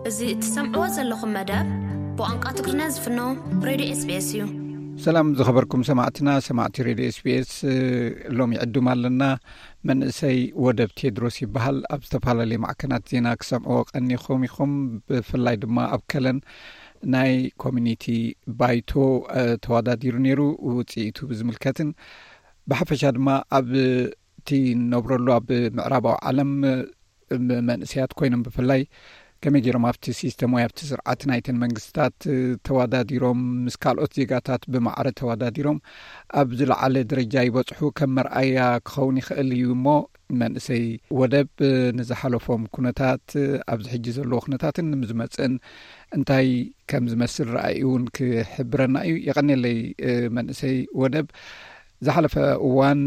እዚ እትሰምዕዎ ዘለኹም መደብ ብቋንቋ ትግርኛ ዝፍኖ ሬድዮ ኤስቢኤስ እዩ። ሰላም ዝኸበርኩም ሰማዕትና፣ ሰማዕቲ ሬድዮ ኤስቢኤስ፣ ሎሚ ዕዱም ኣለና። መንእሰይ ወደብ ቴድሮስ ይበሃል። ኣብ ዝተፈላለዩ ማዕከናት ዜና ክሰምዕዎ ቀኒኹም ኢኹም። ብፍላይ ድማ ኣብ ከለን ናይ ኮሚኒቲ ባይቶ ተወዳዲሩ ነይሩ። ውፅኢቱ ብዝምልከትን ብሓፈሻ ድማ ኣብ እቲ ንነብረሉ ኣብ ምዕራባዊ ዓለም መንእሰያት ኮይኖም ብፍላይ ከመይ ገይሮም ኣብቲ ሲስተም ወይ ኣብቲ ስርዓት ናይተን መንግስታት ተወዳዲሮም ምስ ካልኦት ዜጋታት ብማዕረ ተወዳዲሮም ኣብ ዝለዓለ ደረጃ ይበፅሑ ከም መርኣያ ክኸውን ይኽእል እዩ። እሞ መንእሰይ ወደብ ንዝሓለፎም ኩነታት፣ ኣብዚ ሕጂ ዘለዎ ኩነታትን ንዝመፅእን እንታይ ከም ዝመስል ረኣዩ እውን ክሕብረና እዩ። የቐኔለይ መንእሰይ ወደብ። ዝሓለፈ እዋን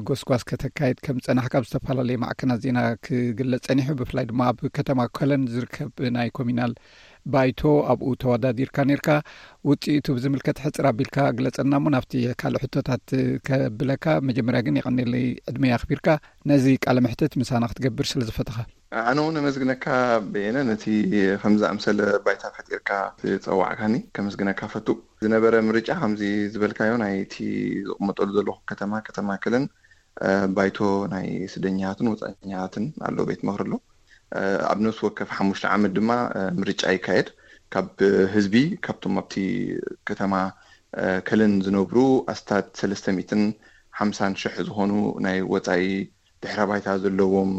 ጎስጓስ ከተካይድ ከም ዝጸናሕካ ኣብ ዝተፈላለዩ ማዕከናት ዜና ክግለጽ ጸኒሑ። ብፍላይ ድማ ኣብ ከተማ ኮለን ዝርከብ ናይ ኮሚናል ባይቶ ኣብኡ ተወዳዲርካ ነርካ። ውጽኢቱ ብዝምልከት ሕጽር ኣቢልካ ግለጸና እሞ ናብቲ ካልእ ሕቶታት ከብለካ። መጀመርያ ግን የቐኔለይ ዕድመ ኣኽቢርካ ነዚ ቃለ መሕትት ምሳና ክትገብር ስለ ዝፈተኻ። ኣነ እውን ኣመስግነካ በየነ፣ ነቲ ከምዚ ኣምሰለ ባይታ ፈጢርካ ዝጸዋዕካኒ ከመስግነካ ፈቱ። ዝነበረ ምርጫ ከምዚ ዝበልካዮ ናይቲ ዝቕመጠሉ ዘለኹ ከተማ፣ ከተማ ከለን፣ እ፣ ባይቶ ናይ ስደኛታትን ወጻኛታትን ኣሎ፣ ቤት ምኽሪ ኣሎ። እ፣ ኣብ ነፍሲ ወከፍ ሓሙሽተ ዓመት ድማ፣ እ፣ ምርጫ ይካየድ። ካብ ህዝቢ፣ ካብቶም ኣብቲ ከተማ፣ እ፣ ከለን ዝነብሩ ኣስታት ሰለስተ ሚእትን ሓምሳን ሽሕ ዝኾኑ ናይ ወጻኢ ድሕረ ባይታ ዘለዎም፣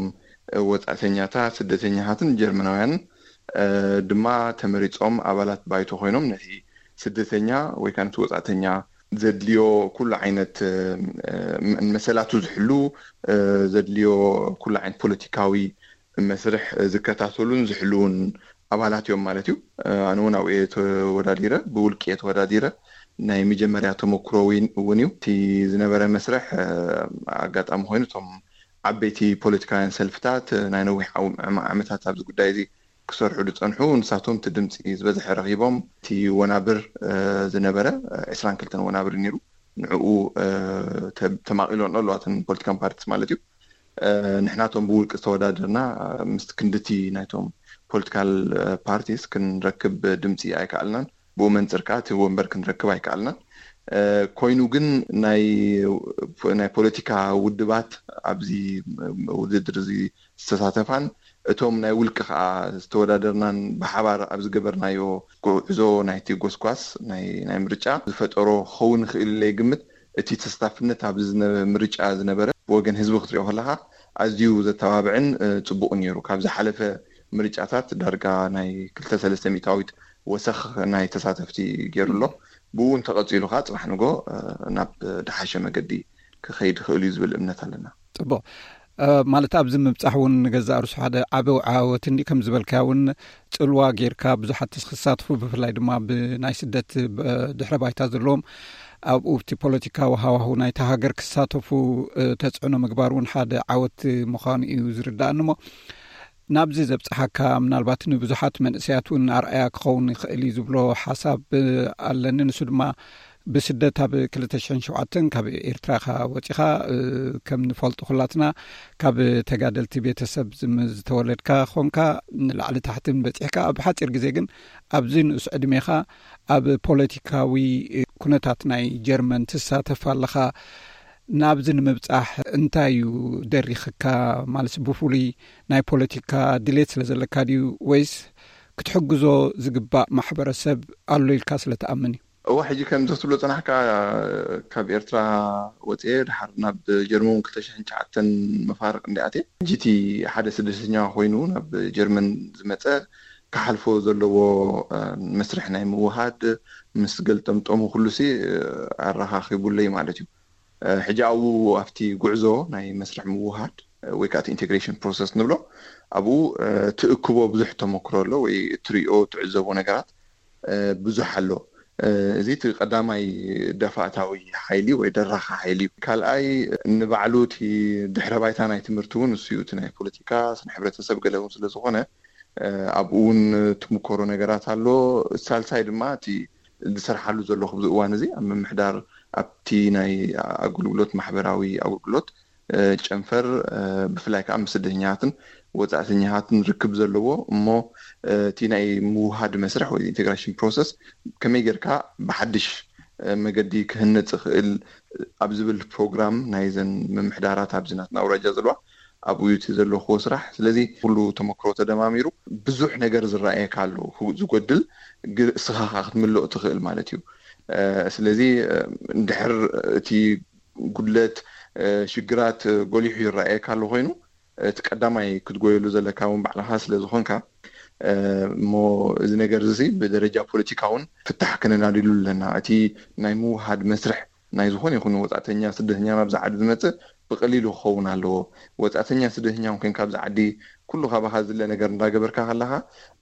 እ፣ ወጻእተኛታት፣ ስደተኛታትን ጀርመናውያን፣ እ፣ ድማ ተመሪጾም ኣባላት ባይቶ ኮይኖም ነቲ ስደተኛ ወይ ከዓ ነቲ ወጻእተኛ ዘድልዮ ኩሉ ዓይነት፣ እ፣ እ፣ መሰላቱ ዝሕሉ፣ እ፣ ዘድልዮ ኩሉ ዓይነት ፖለቲካዊ መስርሕ ዝከታተሉን ዝሕልውን ኣባላት እዮም ማለት እዩ። እ፣ ኣነ እውን ኣብኡ እየ ተወዳዲረ፣ ብውልቂ እየ ተወዳዲረ። ናይ መጀመርያ ተመክሮ እውን እውን እዩ። እቲ ዝነበረ መስርሕ፣ እ፣ ኣጋጣሚ ኮይኑ እቶም ዓበይቲ ፖለቲካውያን ሰልፍታት፣ እ፣ ናይ ነዊሕ ዓው-፣ ዓመ-፣ ዓመታት ኣብዚ ጉዳይ እዚ ክሰርሑ ዝጸንሑ፣ ንሳቶም እቲ ድምፂ ዝበዝሐ ረኺቦም። እቲ ወናብር፣ እ፣ ዝነበረ፣ እ፣ ዕስራን ክልተን ወናብር ነይሩ። ንዕኡ፣ እ፣ ተ-፣ ተማቒሎን ኣለዋ እተን ፖለቲካን ፓርቲስ ማለት እዩ። እ፣ ንሕናቶም ብውልቂ ዝተወዳደርና፣ እ፣ ምስ ክንድቲ ናይቶም ፖለቲካል፣ እ፣ ፓርቲስ ክንረክብ ድምፂ ኣይከኣልናን። ብኡ መንፅር ከዓ እቲ ወንበር ክንረክብ ኣይከኣልናን። እ፣ ኮይኑ ግን ናይ፣ ናይ ፖለቲካ ውድባት ኣብዚ ውድድር እዚ ዝተሳተፋን እቶም ናይ ውልቂ ከዓ ዝተወዳደርናን ብሓባር ኣብ ዝገበርናዮ ጉዕዞ ናይቲ ጎስጓስ ናይ፣ ናይ ምርጫ ዝፈጠሮ ክኸውን ይኽእል ኢለ ይግምት። እቲ ተሳታፍነት ኣብዚ ዝነ-፣ ምርጫ ዝነበረ ብወገን ህዝቢ ክትሪኦ ከለኻ ኣዝዩ ዘተባብዕን፣ እ፣ ጽቡቕን ነይሩ። ካብ ዝሓለፈ ምርጫታት ዳርጋ ናይ ክልተ ሰለስተ ሚእታዊት ወሰኽ ናይ ተሳተፍቲ ገይሩ ኣሎ። ብኡ እንተቐጺሉ ከዓ ጽባሕ ንጎ፣ እ፣ ናብ ድሓሸ መገዲ ክኸይድ ይኽእል እዩ ዝብል እምነት ኣለና። ጽቡቕ። እ፣ ማለት ኣብዚ ምብጻሕ እውን ንገዛእ ርእሱ ሓደ ዓቢ ዓወት እንዲ ከም ዝበልካዮ እውን ጽልዋ ጌርካ ብዙሓት ክሳትፉ ብፍላይ ድማ ብናይ ስደት ብ-፣ ድሕረ ባይታ ዘለዎም ኣብኡ ኣብቲ ፖለቲካዊ ሃዋሁ ናይታ ሃገር ክሳተፉ፣ እ፣ ተጽዕኖ ምግባር እውን ሓደ ዓወት ምዃኑ እዩ ዝርዳእኒ። እሞ ናብዚ ዘብጽሓካ ምናልባት ንብዙሓት መንእሰያት እውን ኣርኣያ ክኸውን ይኽእል እዩ ዝብሎ ሓሳብ፣ እ፣ ኣለኒ። ንሱ ድማ ብስደት ኣብ ክልተ ሽሕን ሸውዓተን ካብ ኤርትራኻ ወጺኻ፣ እ፣ ከም ንፈልጦ ኩላትና ካብ ተጋደልቲ ቤተሰብ ዝም-፣ ዝተወለድካ ኾንካ ንላዕሊ ታሕትን በጺሕካ ኣብ ሓጺር ግዜ ግን ኣብዚ ንኡስ ዕድሜኻ ኣብ ፖለቲካዊ ኩነታት ናይ ጀርመን ትሳተፍ ኣለኻ። ናብዚ ንምብጻሕ እንታይ እዩ ደሪኽካ? ማለት ብፍሉይ ናይ ፖለቲካ ድሌት ስለ ዘለካ ድዩ ወይስ ክትሕግዞ ዝግባእ ማሕበረሰብ ኣሎ ኢልካ ስለ ትኣምን እዩ? እዋ፣ ሕጂ ከምዚ ክትብሎ ጸናሕካ፣ ካብ ኤርትራ ወጽኤ ድሓር ናብ ጀርመን ክልተ ሽሕን ትሽዓተን መፋርቕ እንዲኣትየ። ሕጂ እቲ ሓደ ስደተኛ ኮይኑ ናብ ጀርመን ዝመጸ ክሓልፎ ዘለዎ፣ እ፣ መስርሕ ናይ ምውሃድ ምስ ገልጠምጠሙ ኩሉሲ፣ እ፣ ኣረኻኺቡለይ ማለት እዩ። እ፣ ሕጂ ኣብኡ ኣብቲ ጉዕዞ ናይ መስርሕ ምውሃድ፣ እ፣ ወይ ከዓ እቲ ኢንቴግሬሽን ፕሮሰስ ንብሎ፣ ኣብኡ፣ እ፣ ትእክቦ ብዙሕ ተመክሮ ኣሎ ወይ እትሪኦ ትዕዘቦ ነገራት፣ እ፣ ብዙሕ ኣሎ። እ፣ እዚ እቲ ቀዳማይ ደፋእታዊ ሓይሊ ወይ ደራኺ ሓይሊ እዩ። ካልኣይ ንባዕሉ እቲ ድሕረ ባይታ ናይ ትምህርቲ እውን እሱ እዩ። እቲ ናይ ፖለቲካ ስነ ሕብረተሰብ ገለ እውን ስለ ዝኾነ፣ እ፣ ኣብኡ እውን ትምኮሮ ነገራት ኣሎ። ሳልሳይ ድማ እቲ ዝሰርሓሉ ዘለኹ ኣብዚ እዋን እዚ ኣብ ምምሕዳር ኣብቲ ናይ ኣገልግሎት ማሕበራዊ ኣገልግሎት፣ እ፣ ጨንፈር፣ እ፣ ብፍላይ ከዓ ምስ ስደተኛታትን ወፃእተኛታትን ርክብ ዘለዎ እሞ እቲ ናይ ምውሃድ መስርሕ ወይ ኢንቴግራሽን ፕሮሰስ ከመይ ጌርካ ብሓድሽ መገዲ ክህነፅ ይኽእል ኣብ ዝብል ፕሮግራም ናይዘን ምምሕዳራት ኣብዚ ናትና ኣውራጃ ዘለዋ ኣብኡ እቲ ዘለኹዎ ስራሕ። ስለዚ ኩሉ ተመክሮ ተደማሚሩ ብዙሕ ነገር ዝረኣየካ ኣሎ፣ ዝጎድል እስኻ ክትምልኦ ትኽእል ማለት እዩ። ስለዚ እንድሕር እቲ ጉድለት ሽግራት ጎሊሑ ይረኣየካ ኣሎ ኮይኑ እቲ ቀዳማይ ክትጎየሉ ዘለካ እውን ባዕልኻ ስለ ዝኾንካ እሞ እዚ ነገር እዚ ብደረጃ ፖለቲካ እውን ፍታሕ ከነናድሉ ኣለና። እቲ ናይ ምውሃድ መስርሕ ናይ ዝኾነ ይኹን ወፃእተኛ ስደተኛ ናብዚ ዓዲ ዝመፅእ ብቐሊሉ ክኸውን ኣለዎ። ወፃእተኛ ስደተኛ እውን ኮይንካ ኣብዚ ዓዲ ኩሉ ካባኻ ዝለ ነገር እንዳገበርካ ከለኻ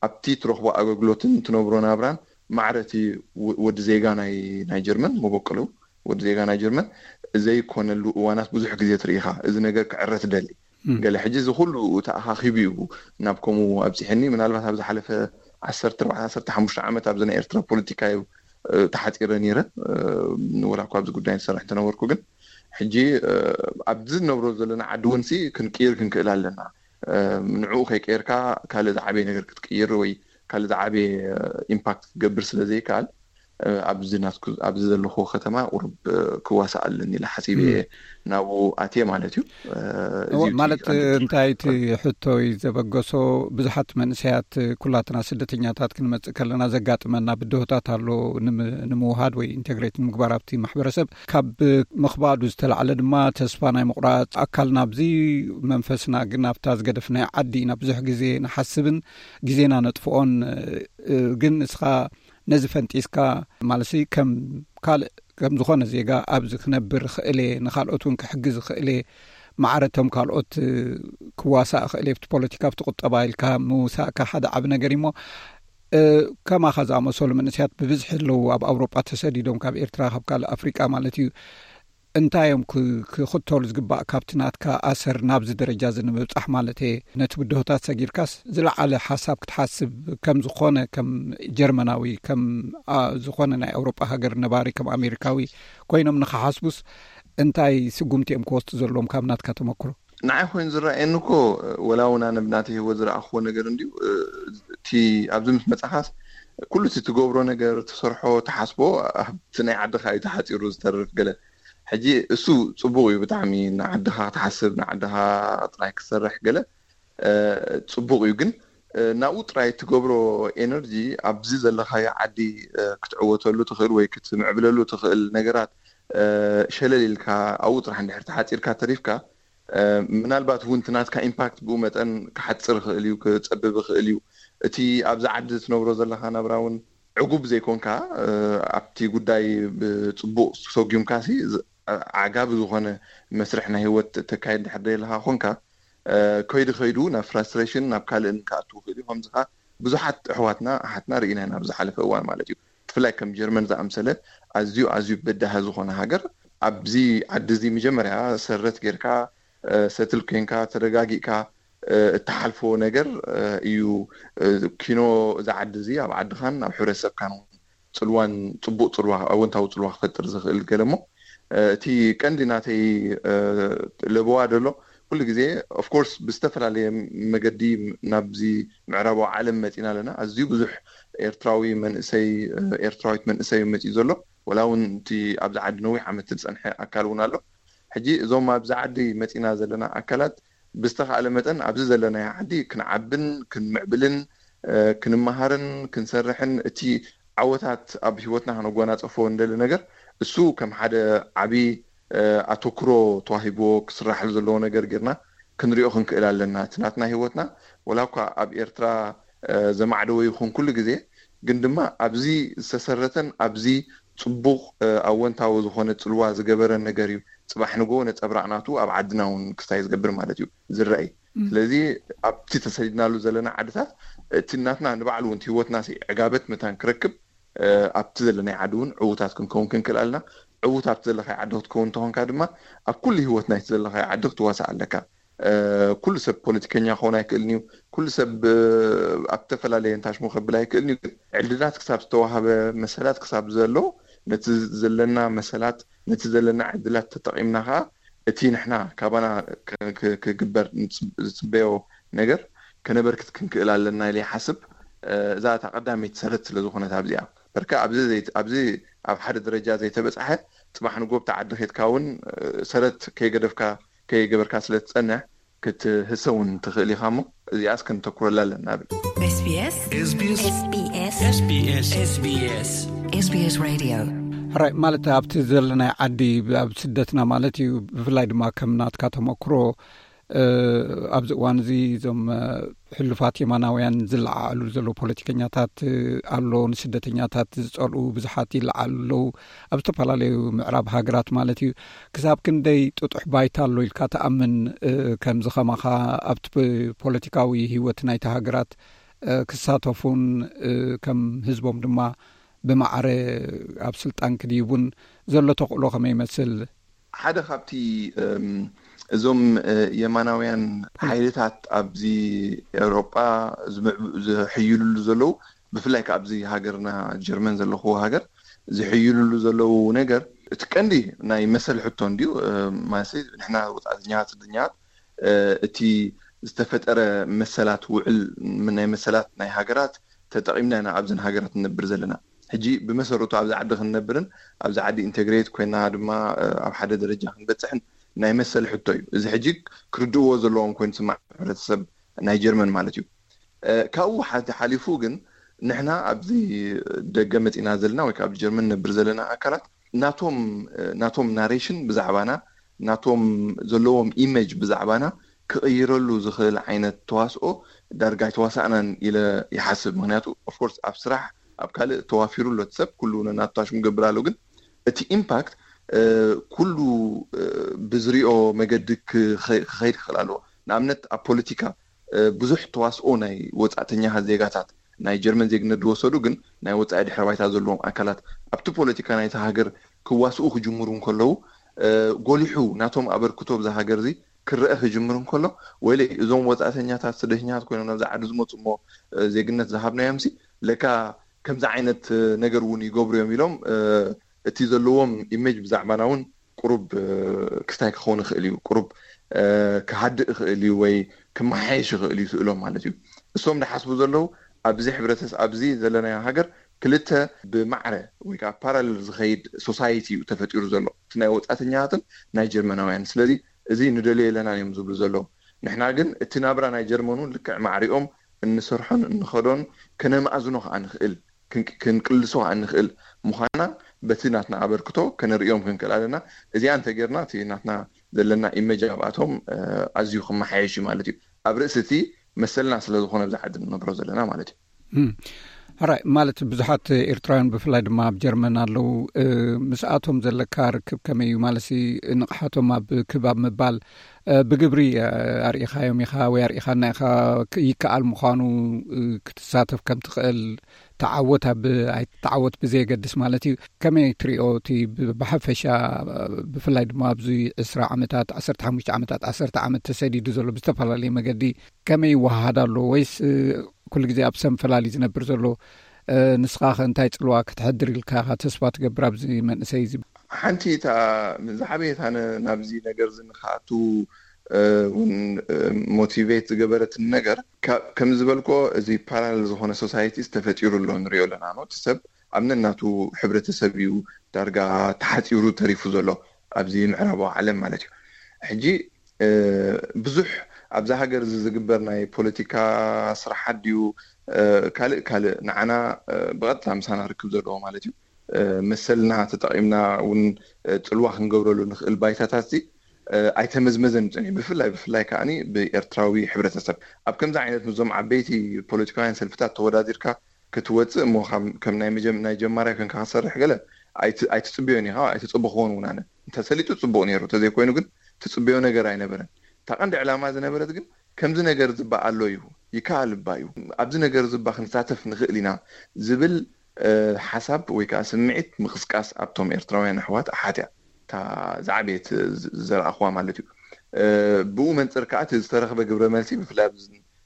ኣብቲ ትረኽቦ ኣገልግሎትን ትነብሮ ናብራን ማዕረ እቲ ወዲ ዜጋ ናይ ጀርመን መበቆሉ ወዲ ዜጋ ናይ ጀርመን ዘይኮነሉ እዋናት ብዙሕ ግዜ ትርኢኻ። እዚ ነገር ክዕረ ትደሊ ገለ ሕጂ እዚ ኩሉ ተኣኻኺቡ እዩ ናብ ከምኡ ኣብፂሐኒ። ምናልባት ኣብ ዝሓለፈ ዓሰርተ ኣርባዕተ ዓሰርተ ሓሙሽተ ዓመት ኣብዚ ናይ ኤርትራ ፖለቲካ እዩ ተሓፂረ ነይረ። ወላ እኳ ኣብዚ ጉዳይ ዝሰርሕ እንተነበርኩ ግን ሕጂ ኣብዚ ንነብሮ ዘለና ዓዲ እውን ሲ ክንቅይር ክንክእል ኣለና። ንዕኡ ከይቀየርካ ካልእ ዝዓበየ ነገር ክትቅይር ወይ ካልእ ዝዓበየ ኢምፓክት ክትገብር ስለ ዘይከኣል ኣብዚ ናትኩ ኣብዚ ዘለኹ ከተማ ቁሩብ ክዋሳእ ኣለኒ ኢለ ሓሲበ እየ ናብኡ ኣትየ ማለት እዩ። ማለት እንታይ እቲ ሕቶ እዩ ዘበገሶ? ብዙሓት መንእሰያት ኩላትና ስደተኛታት ክንመጽእ ከለና ዘጋጥመና ብድሆታት ኣሎ ንምውሃድ ወይ ኢንቴግሬት ንምግባር ኣብቲ ማሕበረሰብ ካብ ምኽባዱ ዝተላዕለ ድማ ተስፋ ናይ ምቑራፅ ኣካልና ኣብዚ መንፈስና ግን ኣብታ ዝገደፍናዮ ዓዲ ኢና ብዙሕ ግዜ ንሓስብን ግዜና ነጥፍኦን ግን እስኻ ነዚ ፈንጢስካ ማለሲ ከም ካልእ ከም ዝኾነ ዜጋ ኣብዚ ክነብር ክእለ ንካልኦት እውን ክሕግዝ ክእለ ማዕረቶም ካልኦት ክዋሳእ ክእለ ብቲ ፖለቲካ ብቲ ቁጠባ ኢልካ ምውሳእካ ሓደ ዓቢ ነገር እሞ ከማኻ ዝኣመሰሉ መንእስያት ብብዝሒ ኣለዉ ኣብ ኣውሮጳ ተሰዲዶም ካብ ኤርትራ ካብ ካልእ ኣፍሪቃ ማለት እዩ። እንታይ እዮም ክኽተሉ ዝግባእ ካብቲ ናትካ ኣሰር ናብዚ ደረጃ እዚ ንምብጻሕ ማለት እየ? ነቲ ብድሆታት ሰጊርካስ ዝለዓለ ሓሳብ ክትሓስብ ከም ዝኾነ ከም ጀርመናዊ ከም ዝኾነ ናይ ኣውሮጳ ሃገር ነባሪ ከም ኣሜሪካዊ ኮይኖም ንክሓስቡስ እንታይ ስጉምቲ እዮም ክወስዱ ዘለዎም ካብ ናትካ ተመክሮ? ንዓይ ኮይኑ ዝረኣየኒ እኮ ወላ እውን ኣነ ብናተይ ህይወት ዝረኣኽዎ ነገር እንድዩ እቲ ኣብዚ ምስ መጻኻስ ኩሉ እቲ ትገብሮ ነገር ትሰርሖ ትሓስቦ ኣብቲ ናይ ዓድኻ እዩ ተሓፂሩ ዝተርፍ ገለ ሕጂ እሱ ፅቡቅ እዩ ብጣዕሚ ንዓድኻ ክትሓስብ ንዓድኻ ጥራይ ክትሰርሕ ገለ ፅቡቅ እዩ ግን ናብኡ ጥራይ ትገብሮ ኤነርጂ ኣብዚ ዘለካዮ ዓዲ ክትዕወተሉ ትኽእል ወይ ክትምዕብለሉ ትኽእል ነገራት ሸለል ኢልካ ኣብኡ ጥራሕ እንድሕር ተሓፂርካ ተሪፍካ ምናልባት እውን እቲ ናትካ ኢምፓክት ብኡ መጠን ክሓፅር ይኽእል እዩ ክፀብብ ይኽእል እዩ እቲ ኣብዚ ዓዲ ትነብሮ ዘለካ ናብራ እውን ዕጉብ ዘይኮንካ ኣብቲ ጉዳይ ብፅቡቅ ሰጉምካ ዓጋቢ ዝኾነ መስርሕ ናይ ህይወት ተካይድ ድሕር ደለካ ኮንካ ከይዱ ከይዱ ናብ ፍራስትሬሽን ናብ ካልእን ክኣቱ ይኽእል እዩ ከምዚ ከዓ ብዙሓት ኣሕዋትና ኣሓትና ርኢና ኢና ኣብ ዝሓለፈ እዋን ማለት እዩ ብፍላይ ከም ጀርመን ዝኣምሰለ ኣዝዩ ኣዝዩ በዳሂ ዝኾነ ሃገር ኣብዚ ዓዲ እዚ መጀመርያ ሰረት ጌርካ ሰትል ኮይንካ ተረጋጊእካ እትሓልፎ ነገር እዩ ኪኖ እዚ ዓዲ እዚ ኣብ ዓድኻን ኣብ ሕብረተሰብካን እውን ፅልዋን ፅቡቅ ፅልዋ ኣወንታዊ ፅልዋ ክፈጥር ዝኽእል ገለ እሞ እቲ ቀንዲ ናተይ ለበዋ ደሎ ኩሉ ግዜ ኦፍኮርስ ብዝተፈላለየ መገዲ ናብዚ ምዕራባዊ ዓለም መፂና ኣለና ኣዝዩ ብዙሕ ኤርትራዊ መንእሰይ ኤርትራዊት መንእሰይ መፂኡ ዘሎ ወላ እውን እቲ ኣብዚ ዓዲ ነዊሕ ዓመት ዝፀንሐ ኣካል እውን ኣሎ ሕጂ እዞም ኣብዚ ዓዲ መፂና ዘለና ኣካላት ብዝተኻእለ መጠን ኣብዚ ዘለናዮ ዓዲ ክንዓብን ክንምዕብልን ክንመሃርን ክንሰርሕን እቲ ዓወታት ኣብ ህይወትና ከነጎናፀፎ እንደሊ ነገር እሱ ከም ሓደ ዓብዪ ኣተኩሮ ተዋሂብዎ ክስራሐሉ ዘለዎ ነገር ጌርና ክንሪኦ ክንክእል ኣለና እቲ ናትና ህይወትና ወላ እኳ ኣብ ኤርትራ ዘማዕደወ ይኹን ኩሉ ግዜ ግን ድማ ኣብዚ ዝተሰረተን ኣብዚ ፅቡቕ ኣወንታዊ ዝኾነ ፅልዋ ዝገበረ ነገር እዩ ፅባሕ ንጎ ነፀብራቕ ናቱ ኣብ ዓድና እውን ክስታይ ዝገብር ማለት እዩ ዝረኣይ ስለዚ ኣብቲ ተሰዲድናሉ ዘለና ዓድታት እቲ ናትና ንባዕሉ እውን ህይወትና ዕጋበት መታን ክረክብ ኣብቲ ዘለናይ ዓዲ እውን ዕዉታት ክንከውን ክንክእል ኣለና ዕዉት ኣብቲ ዘለካይ ዓዲ ክትከውን እንተኾንካ ድማ ኣብ ኩሉ ህይወት ናይቲ ዘለካይ ዓዲ ክትዋሳእ ኣለካ ኩሉ ሰብ ፖለቲከኛ ክኸውን ኣይክእልን እዩ ኩሉ ሰብ ኣብ ዝተፈላለየ እንታሽሞ ከብል ኣይክእልን እዩ ዕድላት ክሳብ ዝተዋሃበ መሰላት ክሳብ ዘሎ ነቲ ዘለና መሰላት ነቲ ዘለና ዕድላት ተጠቒምና ከዓ እቲ ንሕና ካባና ክግበር ዝፅበዮ ነገር ከነበርክት ክንክእል ኣለና ኢለ ይሓስብ። እዛ እታ ቀዳመይቲ ሰረት ስለ ዝኾነት ኣብዚኣ በርከ ኣብዚ ኣብ ሓደ ደረጃ ዘይተበፅሐ፣ ፅባሕ ንጎ ብቲ ዓዲ ኬድካ እውን ሰረት ከይገደፍካ ከይገበርካ ስለ ትፀንሕ ክትህሰ እውን ትኽእል ኢኻ። እሞ እዚኣስ ከንተኩረላ ኣለና ብል። ራይ ማለት ኣብቲ ዘለናይ ዓዲ ኣብ ስደትና ማለት እዩ። ብፍላይ ድማ ከም ናትካ ተመክሮ ኣብዚ እዋን እዚ እዞም ሕሉፋት የማናውያን ዝለዓዓሉ ዘለዉ ፖለቲከኛታት ኣሎ፣ ንስደተኛታት ዝጸልኡ ብዙሓት ይለዓሉ ኣለዉ ኣብ ዝተፈላለዩ ምዕራብ ሃገራት ማለት እዩ። ክሳብ ክንደይ ጥጡሕ ባይታ ኣሎ ኢልካ ትኣምን? ከምዚ ከማኻ ኣብቲ ፖለቲካዊ ህይወት ናይቲ ሃገራት ክሳተፉን ከም ህዝቦም ድማ ብማዕረ ኣብ ስልጣን ክድይቡን ዘሎ ተኽእሎ ከመይ ይመስል? ሓደ ካብቲ እዞም የማናውያን ሓይልታት ኣብዚ ኤውሮጳ ዝሕይልሉ ዘለዉ፣ ብፍላይ ከ ኣብዚ ሃገርና ጀርመን ዘለኹዎ ሃገር ዝሕይልሉ ዘለዉ ነገር፣ እቲ ቀንዲ ናይ መሰል ሕቶ እንድዩ። ማለት ንሕና ወፃእተኛታት ስደተኛታት እቲ ዝተፈጠረ መሰላት ውዕል ናይ መሰላት ናይ ሃገራት ተጠቒምና ኢና ኣብዘን ሃገራት ንነብር ዘለና። ሕጂ ብመሰረቱ ኣብዚ ዓዲ ክንነብርን ኣብዚ ዓዲ ኢንተግሬት ኮይና ድማ ኣብ ሓደ ደረጃ ክንበፅሕን ናይ መሰል ሕቶ እዩ። እዚ ሕጂ ክርድእዎ ዘለዎም ኮይኑ ዝስማዕ ሕብረተሰብ ናይ ጀርመን ማለት እዩ። ካብኡ ሓሊፉ ግን ንሕና ኣብዚ ደገ መፂና ዘለና ወይ ኣብ ጀርመን ነብር ዘለና ኣካላት ናቶም ናቶም ናሬሽን ብዛዕባና፣ ናቶም ዘለዎም ኢሜጅ ብዛዕባና ክቕይረሉ ዝኽእል ዓይነት ተዋስኦ ዳርጋ ኣይተዋሳእናን ኢለ ይሓስብ። ምክንያቱ ኦፍኮርስ ኣብ ስራሕ ኣብ ካልእ ተዋፊሩ ኣሎ እቲ ሰብ፣ ኩሉ ነናቱ ሽሙ ገብር ኣሎ። ግን እቲ ኢምፓክት ኩሉ ብዝሪኦ መገዲ ክኸይድ ክኽእል ኣለዎ። ንኣብነት ኣብ ፖለቲካ ብዙሕ ተዋስኦ ናይ ወፃእተኛ ዜጋታት፣ ናይ ጀርመን ዜግነት ዝወሰዱ ግን ናይ ወፃኢ ድሕረ ባይታ ዘለዎም ኣካላት ኣብቲ ፖለቲካ ናይቲ ሃገር ክዋስኡ ክጅምሩ እንከለዉ ጎሊሑ ናቶም ኣበርክቶ ብዛ ሃገር እዚ ክረአ ክጅምር እንከሎ፣ ወይለይ እዞም ወፃእተኛታት ስደተኛታት ኮይኖም ናብዚ ዓዲ ዝመፁ እሞ ዜግነት ዝሃብናዮም ሲ ለካ ከምዚ ዓይነት ነገር እውን ይገብሩ እዮም ኢሎም እቲ ዘለዎም ኢሜጅ ብዛዕባና እውን ቁሩብ ክስታይ ክኸውን ይኽእል እዩ፣ ቁሩብ ክሃድእ ይኽእል እዩ ወይ ክመሓየሽ ይኽእል እዩ ስእሎም ማለት እዩ። እሶም ዝሓስቡ ዘለዉ ኣብዚ ሕብረተሰብ ኣብዚ ዘለናዮ ሃገር ክልተ ብማዕረ ወይ ከዓ ፓራለል ዝኸይድ ሶሳይቲ እዩ ተፈጢሩ ዘሎ፣ እቲ ናይ ወፃእተኛታትን ናይ ጀርመናውያን። ስለዚ እዚ ንደልዮ የለናን እዮም ዝብሉ ዘለዉ። ንሕና ግን እቲ ናብራ ናይ ጀርመን እውን ልክዕ ማዕሪኦም እንሰርሖን እንኸዶን ከነመኣዝኖ ከዓ ንኽእል ክንቅልሶ እንኽእል ምዃና በቲ ናትና ኣበርክቶ ከነርእዮም ክንክእል ኣለና። እዚኣ እንተጌርና እቲ ናትና ዘለና ኢመጅ ኣብኣቶም ኣዝዩ ክመሓየሽ እዩ ማለት እዩ። ኣብ ርእሲ እቲ መሰልና ስለ ዝኾነ ብዛ ዓዲ ንነብሮ ዘለና ማለት እዩ። ሕራይ ማለት ብዙሓት ኤርትራውያን ብፍላይ ድማ ኣብ ጀርመን ኣለዉ። ምስኣቶም ዘለካ ርክብ ከመይ እዩ? ማለት ንቕሓቶም ኣብ ክብ ኣብ ምባል ብግብሪ ኣርኢኻዮም ኢኻ ወይ ኣርኢኻና ኢኻ ይከኣል ምዃኑ ክትሳተፍ ከም ትኽእል ተዓወት ኣብ ኣይትተዓወት ብዘየገድስ ማለት እዩ። ከመይ ትሪኦ እቲ ብሓፈሻ ብፍላይ ድማ ኣብዚ ዕስራ ዓመታት ዓሰርተ ሓሙሽተ ዓመታት ዓሰርተ ዓመት ተሰዲዱ ዘሎ ብዝተፈላለየ መገዲ ከመይ ይወሃሃድ ኣሎ ወይስ ኩሉ ግዜ ኣብ ሰንፈላል እዩ ዝነብር ዘሎ? ንስኻ ከ እንታይ ፅልዋ ክትሕድር ኢልካ ኢኻ ተስፋ ትገብር ኣብዚ መንእሰይ እዚ? ሓንቲ እታ ዝዓበየት ኣነ ናብዚ ነገር እዚ ንክኣቱ እውን ሞቲቬት ዝገበረትኒ ነገር ከም ዝበልኮ እዚ ፓራለል ዝኾነ ሶሳይቲስ ተፈጢሩ ኣሎ ንሪኦ ኣለና ነው እቲ ሰብ ኣብ ነናቱ ሕብረተሰብ እዩ ዳርጋ ተሓፂሩ ተሪፉ ዘሎ ኣብዚ ምዕራባዊ ዓለም ማለት እዩ። ሕጂ ብዙሕ ኣብዛ ሃገር እዚ ዝግበር ናይ ፖለቲካ ስራሓት ድዩ ካልእ ካልእ ንዓና ብቐጥታ ምሳና ርክብ ዘለዎ ማለት እዩ መሰልና ተጠቒምና እውን ፅልዋ ክንገብረሉ ንኽእል ባይታታት ዚ ኣይተመዝመዘን እዩ ፀኒሑ። ብፍላይ ብፍላይ ከዓኒ ብኤርትራዊ ሕብረተሰብ ኣብ ከምዚ ዓይነት ምስዞም ዓበይቲ ፖለቲካውያን ሰልፍታት ተወዳዲርካ ክትወፅእ እሞ ከም ናይ ጀማርያ ኮንካ ክትሰርሕ ገለ ኣይትፅበዮን ኢኻ፣ ኣይተፀበኽዎን እውን ኣነ። እንተሰሊጡ ፅቡቕ ነይሩ፣ እንተዘይኮይኑ ግን ትፅበዮ ነገር ኣይነበረን። እታ ቀንዲ ዕላማ ዝነበረት ግን ከምዚ ነገር ዝባ ኣሎ እዩ፣ ይከኣል እባ እዩ፣ ኣብዚ ነገር ዝባ ክንሳተፍ ንኽእል ኢና ዝብል ሓሳብ ወይ ከዓ ስምዒት ምቕስቃስ ኣብቶም ኤርትራውያን ኣሕዋት ኣሓት እያ እታ ዝዓበየት ዝረኣኽዋ ማለት እዩ። ብኡ መንፅር ከዓ እቲ ዝተረኽበ ግብረ መልሲ ብፍላይ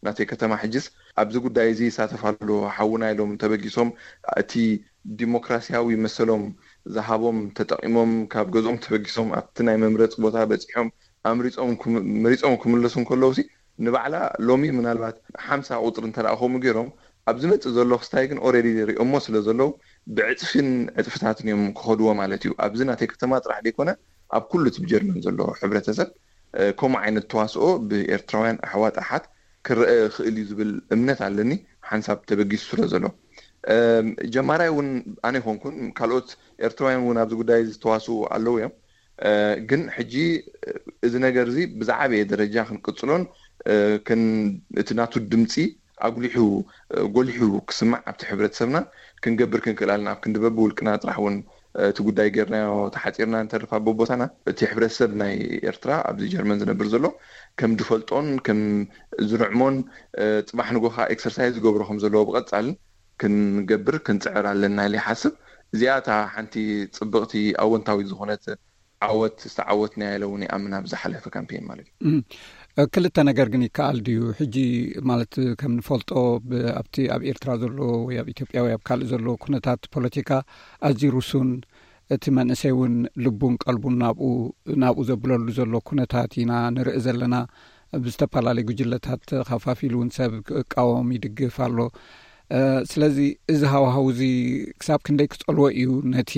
ናተይ ከተማ ሕጅስ ኣብዚ ጉዳይ እዚ ይሳተፍ ኣሎ ሓውና ኢሎም ተበጊሶም እቲ ዲሞክራሲያዊ መሰሎም ዝሃቦም ተጠቒሞም ካብ ገዝኦም ተበጊሶም ኣብቲ ናይ መምረፂ ቦታ በፂሖም ኣምሪፆም መሪፆም ክምለሱ እንከለዉ ሲ ንባዕላ ሎሚ ምናልባት ሓምሳ ቁፅሪ እንተደኣ ከምኡ ገይሮም፣ ኣብ ዝመፅእ ዘሎ ክስታይ ግን ኦልሬዲ ሪኦሞ ስለ ዘለዉ፣ ብዕፅፍን ዕፅፍታትን እዮም ክኸድዎ ማለት እዩ። ኣብዚ ናተይ ከተማ ጥራሕ ዘይኮነ፣ ኣብ ኩሉ እቲ ብጀርመን ዘሎ ሕብረተሰብ ከምኡ ዓይነት ተዋስኦ ብኤርትራውያን ኣሕዋት ኣሓት ክረአ ይኽእል እዩ ዝብል እምነት ኣለኒ፣ ሓንሳብ ተበጊሱ ስለ ዘሎ። ጀማራይ እውን ኣነ ይኮንኩን፣ ካልኦት ኤርትራውያን እውን ኣብዚ ጉዳይ ዝተዋስኡ ኣለዉ እዮም። ግን ሕጂ እዚ ነገር እዚ ብዝዓበየ ደረጃ ክንቅፅሎን እቲ ናቱ ድምፂ ኣጉሊሑ ጎሊሑ ክስማዕ ኣብቲ ሕብረተሰብና ክንገብር ክንክእል ኣለና። ኣብ ክንዲ በብውልቅና ጥራሕ እውን እቲ ጉዳይ ጌርናዮ ተሓፂርና እንተርፋ በቦታና፣ እቲ ሕብረተሰብ ናይ ኤርትራ ኣብዚ ጀርመን ዝነብር ዘሎ ከም ዝፈልጦን ከም ዝርዕሞን፣ ፅባሕ ንጎኻ ኤክሰርሳይዝ ዝገብሮ ከም ዘለዎ ብቐፃልን ክንገብር ክንፅዕር ኣለና ኢለ ይሓስብ። እዚኣ እታ ሓንቲ ፅብቕቲ ኣወንታዊት ዝኾነት ዓወት ዝተዓወትናያ ኢለ እውን ይኣምን ኣብ ዝሓለፈ ካምፔን ማለት እዩ። ክልተ ነገር ግን ይከኣል ድዩ? ሕጂ ማለት ከም ንፈልጦ፣ ኣብቲ ኣብ ኤርትራ ዘሎ ወይ ኣብ ኢትዮጵያ ወይ ኣብ ካልእ ዘሎ ኩነታት ፖለቲካ ኣዝዩ ርሱን፣ እቲ መንእሰይ እውን ልቡን ቀልቡን ናብኡ ናብኡ ዘብለሉ ዘሎ ኩነታት ኢና ንርኢ ዘለና። ብዝተፈላለዩ ጉጅለታት ከፋፊሉ እውን ሰብ ክቃወም ይድግፍ ኣሎ። ስለዚ እዚ ሃዋሃው እዚ ክሳብ ክንደይ ክጸልዎ እዩ ነቲ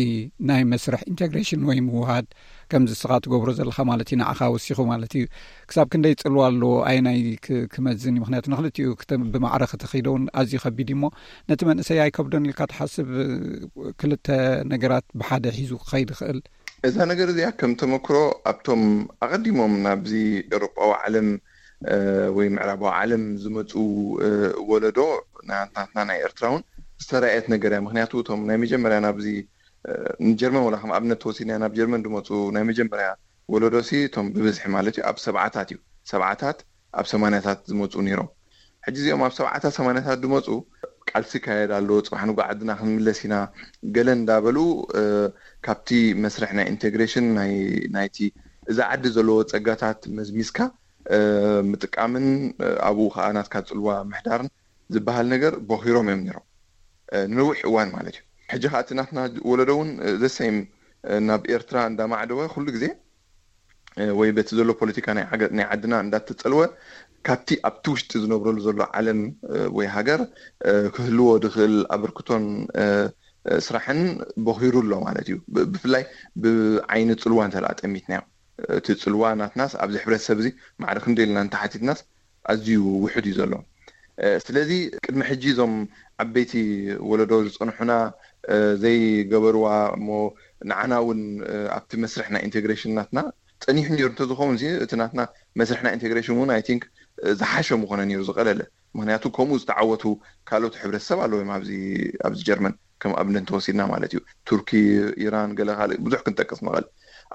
ናይ መስርሕ ኢንቴግሬሽን ወይ ምውሃድ፣ ከምዚ ስኻ ትገብሮ ዘለኻ ማለት እዩ፣ ንዓኻ ወሲኹ ማለት እዩ። ክሳብ ክንደይ ጽልዋ ኣለዎ? ኣየናይ ክመዝን እዩ? ምክንያቱ ንክልቲኡ ብማዕረ ክትኸይዶ እውን ኣዝዩ ከቢድ እዩ። እሞ ነቲ መንእሰይ ኣይከብዶን ኢልካ ትሓስብ? ክልተ ነገራት ብሓደ ሒዙ ክኸይድ ይኽእል። እዛ ነገር እዚኣ ከም ተመክሮ ኣብቶም ኣቐዲሞም ናብዚ ኤውሮጳዊ ዓለም ወይ ምዕራባዊ ዓለም ዝመፁ ወለዶ ናትና ናይ ኤርትራ እውን ዝተረኣየት ነገር እያ። ምክንያቱ እቶም ናይ መጀመርያ ናብዚ ንጀርመን ወላ ከም ኣብነት ተወሲድና ናብ ጀርመን ዝመፁ ናይ መጀመርያ ወለዶ ሲ እቶም ብብዝሒ ማለት እዩ ኣብ ሰብዓታት እዩ፣ ሰብዓታት ኣብ ሰማንያታት ዝመፁ ነይሮም። ሕጂ እዚኦም ኣብ ሰብዓታት ሰማንያታት ዝመፁ ቃልሲ ይካየድ ኣሎ፣ ፅባሕ ንጎ ዓድና ክንምለስ ኢና ገለ እንዳበሉ ካብቲ መስርሕ ናይ ኢንቴግሬሽን ናይቲ እዛ ዓዲ ዘለዎ ፀጋታት መዝሚዝካ ምጥቃምን ኣብኡ ከዓ ናትካ ፅልዋ ምሕዳርን ዝበሃል ነገር ቦኺሮም እዮም ነይሮም ንነዊሕ እዋን ማለት እዩ። ሕጂ ከዓ እቲ ናትና ወለዶ እውን ዘሰይም ናብ ኤርትራ እንዳማዕደወ ኩሉ ግዜ ወይ በቲ ዘሎ ፖለቲካ ናይ ዓድና እንዳተፀልወ ካብቲ ኣብቲ ውሽጢ ዝነብረሉ ዘሎ ዓለም ወይ ሃገር ክህልዎ ዝኽእል ኣበርክቶን ስራሕን ቦኺሩ ኣሎ ማለት እዩ። ብፍላይ ብዓይኒ ፅልዋ እንተ ጠሚትናዮ፣ እቲ ፅልዋ ናትናስ ኣብዚ ሕብረተሰብ እዚ ማዕረ ክንደይ ኢልና እንተሓቲትናስ ኣዝዩ ውሑድ እዩ ዘሎ። ስለዚ ቅድሚ ሕጂ እዞም ዓበይቲ ወለዶ ዝፀንሑና ዘይገበርዋ እሞ ንዓና እውን ኣብቲ መስርሕ ናይ ኢንቴግሬሽን ናትና ፀኒሑ ነይሩ እንተዝኸውን እቲ ናትና መስርሕ ናይ ኢንቴግሬሽን እውን ኣይ ቲንክ ዝሓሸ ምኾነ ነይሩ ዝቐለለ። ምክንያቱ ከምኡ ዝተዓወቱ ካልኦት ሕብረተሰብ ኣለዎም ኣብዚ ጀርመን ከም ኣብነት እንተወሲድና ማለት እዩ። ቱርኪ፣ ኢራን፣ ገለ ካልእ ብዙሕ ክንጠቅስ ንኽእል።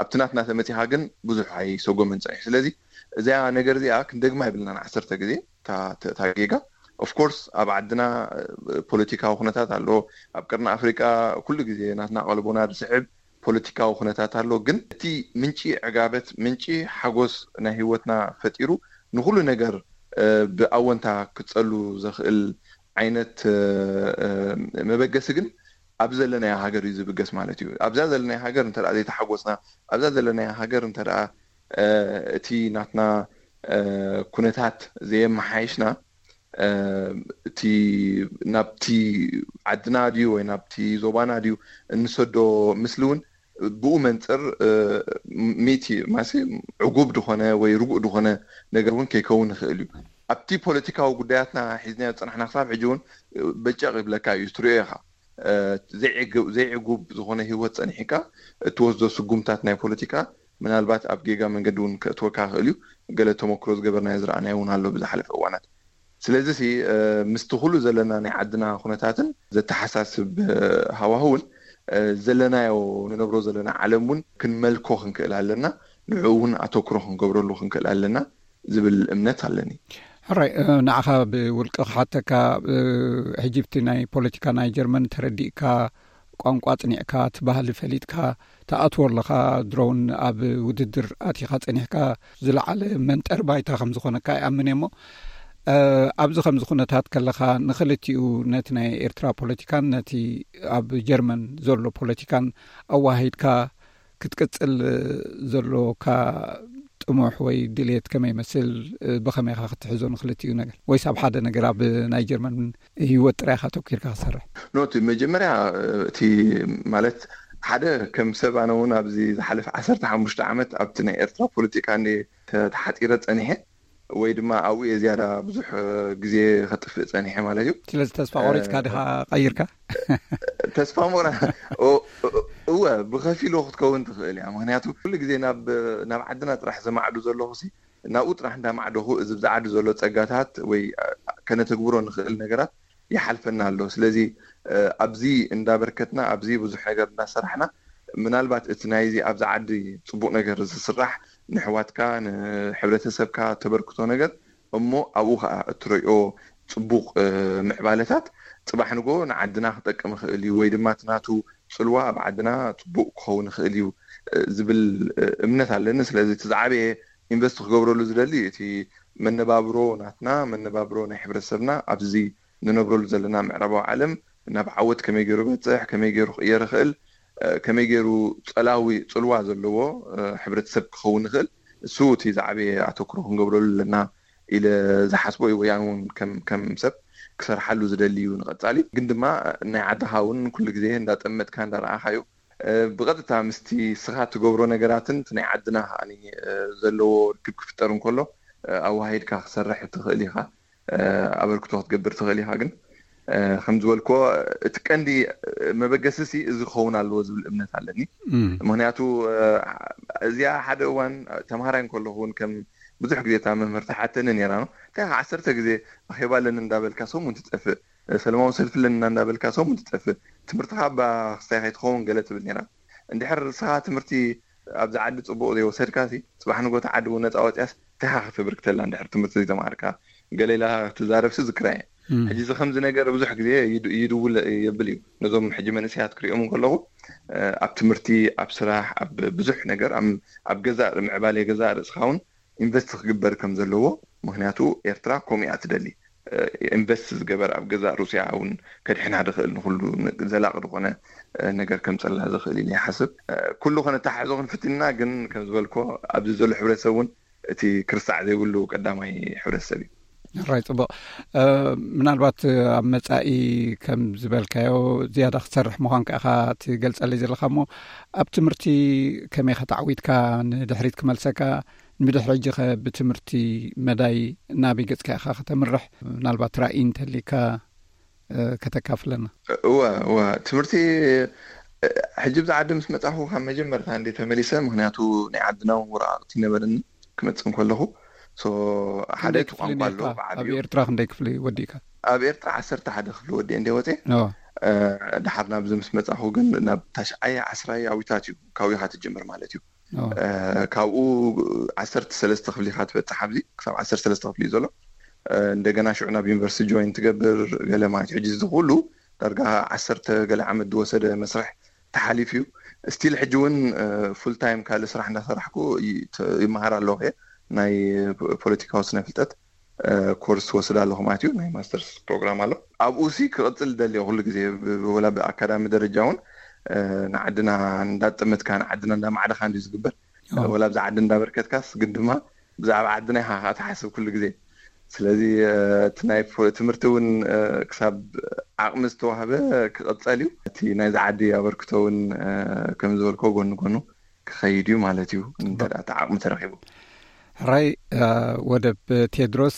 ኣብቲ ናትና ተመፂኻ ግን ብዙሕ ኣይሰጎምን ፀኒሑ። ስለዚ እዚኣ ነገር እዚኣ ክንደግማ ይብልናን ዓሰርተ ግዜ እታ ጌጋ። ኦፍኮርስ ኣብ ዓድና ፖለቲካዊ ኩነታት ኣሎ። ኣብ ቀርኒ ኣፍሪቃ ኩሉ ግዜ ናትና ቀልቦና ዝስዕብ ፖለቲካዊ ኩነታት ኣሎ። ግን እቲ ምንጪ ዕጋበት፣ ምንጪ ሓጎስ ናይ ህይወትና ፈጢሩ ንኩሉ ነገር ብኣወንታ ክፀሉ ዘኽእል ዓይነት መበገሲ ግን ኣብ ዘለናዮ ሃገር እዩ ዝብገስ ማለት እዩ። ኣብዛ ዘለናዮ ሃገር እንተ ዘይተሓጎስና፣ ኣብዛ ዘለናዮ ሃገር እንተ እቲ ናትና ኩነታት ዘየመሓየሽና፣ እቲ ናብቲ ዓድና ድዩ ወይ ናብቲ ዞባና ድዩ እንሰዶ ምስሊ እውን ብኡ መንፅር ሚእቲ ማሲ ዕጉብ ዝኾነ ወይ ርጉእ ዝኾነ ነገር እውን ከይከውን ይኽእል እዩ። ኣብቲ ፖለቲካዊ ጉዳያትና ሒዝናዮ ዝፀናሕና ክሳብ ሕጂ እውን በጨቕ ይብለካ እዩ፣ ትሪኦ ኢኻ። ዘይዕጉብ ዝኾነ ህይወት ፀኒሕካ እትወስዶ ስጉምታት ናይ ፖለቲካ ምናልባት ኣብ ጌጋ መንገዲ እውን ከእትወካ ይኽእል እዩ። ገለ ተመክሮ ዝገበርናዮ ዝረኣናዮ እውን ኣሎ ብዝሓለፈ እዋናት። ስለዚ ምስቲ ኩሉ ዘለና ናይ ዓድና ኩነታትን ዘተሓሳስብ ሃዋህውን ዘለናዮ ንነብሮ ዘለና ዓለም እውን ክንመልኮ ክንክእል ኣለና። ንዕኡ እውን ኣተኩሮ ክንገብረሉ ክንክእል ኣለና ዝብል እምነት ኣለኒ። ሕራይ፣ ንዓኻ ብውልቂ ክሓተካ፣ ሕጂ ብቲ ናይ ፖለቲካ ናይ ጀርመን ተረዲእካ፣ ቋንቋ ጽኒዕካ፣ እቲ ባህሊ ፈሊጥካ ትኣትዎ ኣለኻ። ድሮውን ኣብ ውድድር ኣቲኻ ጸኒሕካ ዝለዓለ መንጠር ባይታ ከም ዝኾነካ ይኣምን እየ። እሞ ኣብዚ ከምዚ ኩነታት ከለኻ ንኽልቲኡ ነቲ ናይ ኤርትራ ፖለቲካን ነቲ ኣብ ጀርመን ዘሎ ፖለቲካን ኣዋሂድካ ክትቅጽል ዘሎካ ጥሙሕ ወይ ድልየት ከመይ ይመስል? ብኸመይ ኢኻ ክትሕዞ ንክልቲኡ ነገር? ወይስ ኣብ ሓደ ነገር ኣብ ናይ ጀርመን ህይወት ጥራይ ኢኻ ተኪርካ ክሰርሕ? ኖቲ መጀመርያ እቲ ማለት ሓደ ከም ሰብ ኣነ እውን ኣብዚ ዝሓለፈ ዓሰርተ ሓሙሽተ ዓመት ኣብቲ ናይ ኤርትራ ፖለቲካ እንደ ተሓፂረ ፀኒሐ ወይ ድማ ኣብኡ እየ ዝያዳ ብዙሕ ግዜ ከጥፍእ ፀኒሐ ማለት እዩ። ስለዚ ተስፋ ቆሪፅካ ዲኻ ቀይርካ? ተስፋ ምቑራ እወ ብከፊሉ ክትከውን ትኽእል እያ። ምክንያቱ ኩሉ ግዜ ናብ ዓድና ጥራሕ ዘማዕዱ ዘለኹ ናብኡ ጥራሕ እንዳማዕደኹ እዚ ብዛዕዲ ዘሎ ፀጋታት ወይ ከነተግብሮ ንኽእል ነገራት ይሓልፈና ኣሎ። ስለዚ ኣብዚ እንዳበርከትና ኣብዚ ብዙሕ ነገር እንዳሰራሕና ምናልባት እቲ ናይዚ ኣብዚ ዓዲ ፅቡቕ ነገር ዝስራሕ ንሕዋትካ ንሕብረተሰብካ ተበርክቶ ነገር እሞ ኣብኡ ከዓ እትረዮ ፅቡቕ ምዕባለታት ፅባሕ ንጎ ንዓድና ክጠቅም ይኽእል እዩ ወይ ድማ እቲ ናቱ ፅልዋ ኣብ ዓድና ፅቡቕ ክኸውን ይኽእል እዩ ዝብል እምነት ኣለኒ። ስለዚ እቲ ዝዓበየ ኢንቨስት ክገብረሉ ዝደሊ እቲ መነባብሮ ናትና መነባብሮ ናይ ሕብረተሰብና ኣብዚ ንነብረሉ ዘለና ምዕራባዊ ዓለም ናብ ዓወት ከመይ ገይሩ በፅሕ ከመይ ገይሩ ክቅየር ይኽእል ከመይ ገይሩ ፀላዊ ፅልዋ ዘለዎ ሕብረተሰብ ክኸውን ይኽእል እሱ እቲ ዝዓበየ ኣተኩሮ ክንገብረሉ ኣለና ኢለ ዝሓስቦ እዩ። ወያን እውን ከም ሰብ ክሰርሓሉ ዝደሊ እዩ ንቐፃሊ ግን ድማ ናይ ዓድኻ እውን ኩሉ ግዜ እንዳጠመጥካ እንዳረኣኻ እዩ ብቐጥታ ምስቲ ስኻ ትገብሮ ነገራትን እቲ ናይ ዓድና ከዓኒ ዘለዎ ርክብ ክፍጠር እንከሎ ኣዋሂድካ ክሰርሕ ትኽእል ኢኻ ኣበርክቶ ክትገብር ትኽእል ኢኻ ግን ከም ዝበልኮ እቲ ቀንዲ መበገሲ ሲ እዚ ክኸውን ኣለዎ ዝብል እምነት ኣለኒ ምክንያቱ እዚኣ ሓደ እዋን ተምሃራይ እንከለኹ እውን ከም ብዙሕ ግዜ እታ መምህር ተሓተኒ ነራ ነው እንታይ ዓሰርተ ግዜ ኣኼባ ኣለኒ እንዳበልካ ሰሙን ትጠፍእ ሰለማዊ ሰልፊ ኣለና እንዳበልካ ሰሙን ትጠፍእ ትምህርትኻ ባ ክስታይ ከይትኸውን ገለ ትብል ነራ እንድሕር ንስኻ ትምህርቲ ኣብዚ ዓዲ ፅቡቕ ዘይወሰድካ ሲ ፅባሕ ንጎ ተዓዲ እውን ነፃ ወፅያስ እንታይ ካ ክትብር ክተላ እንድሕር ትምህርቲ ዘይተማሃርካ ገሌላ ትዛረብሲ ዝክራ እየ ሕጂ እዚ ከምዚ ነገር ብዙሕ ግዜ ይድውል የብል እዩ ነዞም ሕጂ መንእሰያት ክሪኦም እንከለኹ ኣብ ትምህርቲ ኣብ ስራሕ ኣብ ብዙሕ ነገር ኣብ ገዛእ ምዕባለ ገዛእ ርእስኻ እውን ኢንቨስት ክግበር ከም ዘለዎ ምክንያቱ ኤርትራ ከምኡ እያ ትደሊ ኢንቨስት ዝገበር ኣብ ገዛእ ሩስያ እውን ከድሕና ዝኽእል ንኩሉ ዘላቂ ዝኾነ ነገር ከምፀላ ዝኽእል ኢለ ይሓስብ ኩሉ ከነተሓሕዞ ክንፍትንና ግን ከም ዝበልኮ ኣብዚ ዘሎ ሕብረተሰብ እውን እቲ ክርሳዕ ዘይብሉ ቀዳማይ ሕብረተሰብ እዩ ራይ ፅቡቅ ምናልባት ኣብ መፃኢ ከም ዝበልካዮ ዝያዳ ክትሰርሕ ምኳንካ ኢኻ ትገልፀለይ ዘለካ እሞ ኣብ ትምህርቲ ከመይ ከተዓዊትካ ንድሕሪት ክመልሰካ ንብድሕሪ ሕጂ ከ ብትምህርቲ መዳይ ናበይ ገፅካ ኢኻ ከተምርሕ ምናልባት ራእይ እንተሊካ ከተካፍለና እወ እወ ትምህርቲ ሕጂ ብዛ ዓዲ ምስ መፃኹ ካብ መጀመርታ እንደ ተመሊሰ ምክንያቱ ናይ ዓድና እውን ወረቃቅቲ ነበረኒ ክመፅእ እንከለኹ ሓደ እቲ ቋንቋ ኣሎ ኣብ ኤርትራ ክንደይ ክፍሊ ወዲእካ ኣብ ኤርትራ ዓሰርተ ሓደ ክፍሊ ወዲእ እንደ ወፀ ድሓር ናብዚ ምስ መፃኹ ግን ናብ ታሽዓይ ዓስራይ ኣዊታት እዩ ካውኻ ትጅምር ማለት እዩ ካብኡ ዓሰርተ ሰለስተ ክፍሊካ ትበፅሕ ኣብዚ ክሳብ ዓሰርተ ሰለስተ ክፍሊ እዩ ዘሎ እንደገና ሽዑ ናብ ዩኒቨርሲቲ ጆይን ትገብር ገለ ማለት ሕጂ እዚ ኩሉ ዳርጋ ዓሰርተ ገለ ዓመት ዝወሰደ መስርሕ ተሓሊፍ እዩ ስቲል ሕጂ እውን ፉል ታይም ካልእ ስራሕ እንዳሰራሕኩ ይመሃር ኣለኹ ናይ ፖለቲካዊ ስነ ፍልጠት ኮርስ ወስድ ኣለኹ ማለት እዩ ናይ ማስተርስ ፕሮግራም ኣሎ ኣብኡ ሲ ክቕፅል ደልዮ ኩሉ ግዜ ወላ ብኣካዳሚ ደረጃ እውን ንዓድና እንዳጠመትካ ንዓድና እንዳማዕደኻ እንዲ ዝግበር ወላ ብዛ ዓዲ እንዳበርከትካስ ግን ድማ ብዛዕባ ዓድና ኢኻ ትሓስብ ኩሉ ግዜ ስለዚ እቲ ናይ ትምህርቲ እውን ክሳብ ዓቕሚ ዝተዋህበ ክቐፀል እዩ እቲ ናይዚ ዓዲ ኣበርክቶ እውን ከም ዝበልኮ ጎኒ ጎኑ ክኸይድ እዩ ማለት እዩ እንተ እቲ ዓቕሚ ተረኪቡ ሕራይ ወደብ ቴድሮስ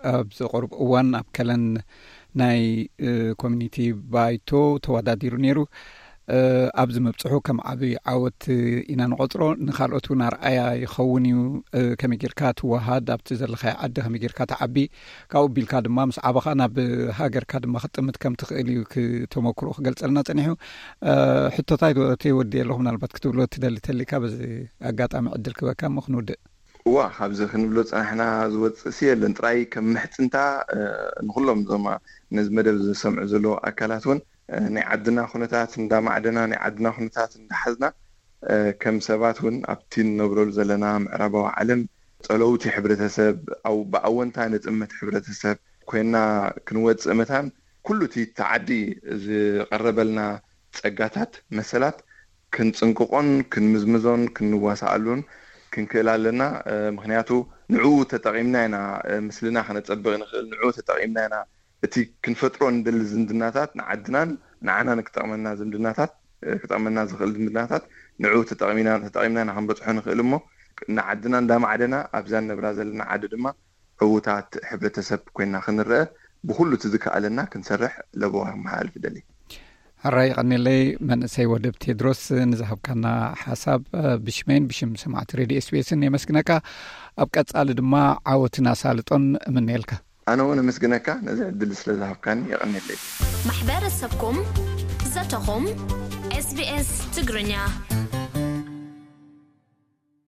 ኣብዚ ቁሩብ እዋን ኣብ ከለን ናይ ኮሚኒቲ ባይቶ ተወዳዲሩ ነይሩ ኣብዚ ምብፅሑ ከም ዓብዪ ዓወት ኢና ንቆፅሮ ንካልኦት እውን ኣርኣያ ይኸውን እዩ ከመይ ጌርካ ትወሃድ ኣብቲ ዘለካዮ ዓዲ ከመይ ጌርካ ትዓቢ ካብኡ ቢልካ ድማ ምስ ዓበኻ ናብ ሃገርካ ድማ ክጥምት ከም ትኽእል እዩ ተመክሮ ክገልፀልና ፀኒሑ ሕቶታይ ተወዲ ኣለኹ ምናልባት ክትብሎ ትደሊ ተሊካ በዚ ኣጋጣሚ ዕድል ክበካ እሞ ክንውድእ እዋ ካብዚ ክንብሎ ፀናሕና ዝወፅእ ሲ የለን ጥራይ ከም ምሕፅንታ ንኩሎም ዞማ ነዚ መደብ ዝሰምዑ ዘለዉ ኣካላት እውን ናይ ዓድና ኩነታት እንዳማዕደና ናይ ዓድና ኩነታት እንዳሓዝና ከም ሰባት እውን ኣብቲ ንነብረሉ ዘለና ምዕራባዊ ዓለም ፀለውቲ ሕብረተሰብ ብኣወንታ ንጥመት ሕብረተሰብ ኮይና ክንወፅእ መታን ኩሉ እቲ ተዓዲ ዝቐረበልና ፀጋታት መሰላት ክንፅንቅቆን ክንምዝምዞን ክንዋሳኣሉን ክንክእል ኣለና። ምክንያቱ ንዕኡ ተጠቒምና ኢና ምስልና ከነፀብቕ ንኽእል። ንዕኡ ተጠቒምና ኢና እቲ ክንፈጥሮ ንደሊ ዝምድናታት ንዓድናን ንዓናን ክጠቕመና ዝምድናታት ክጠቕመና ዝኽእል ዝምድናታት ንዕኡ ተጠቒምና ተጠቒምና ኢና ክንበፅሖ ንኽእል። እሞ ንዓድና እንዳማዕደና ኣብዛ ንነብራ ዘለና ዓዲ ድማ ዕዉታት ሕብረተሰብ ኮይና ክንረአ ብኩሉ እቲ ዝከኣለና ክንሰርሕ ለበዋ መሓላልፍ ደሊ። ሕራይ ይቐኒለይ መንእሰይ ወደብ ቴድሮስ ንዝሃብካና ሓሳብ ብሽመይን ብሽም ሰማዕቲ ሬድዮ ኤስቢኤስን የመስግነካ። ኣብ ቀጻሊ ድማ ዓወትን ኣሳልጦን እምነየልካ። ኣነ እውን ኣመስግነካ ነዚ ዕድል ስለ ዝሃብካኒ። የቐኒለይ። ማሕበረሰብኩም ዘተኹም ኤስቢኤስ ትግርኛ።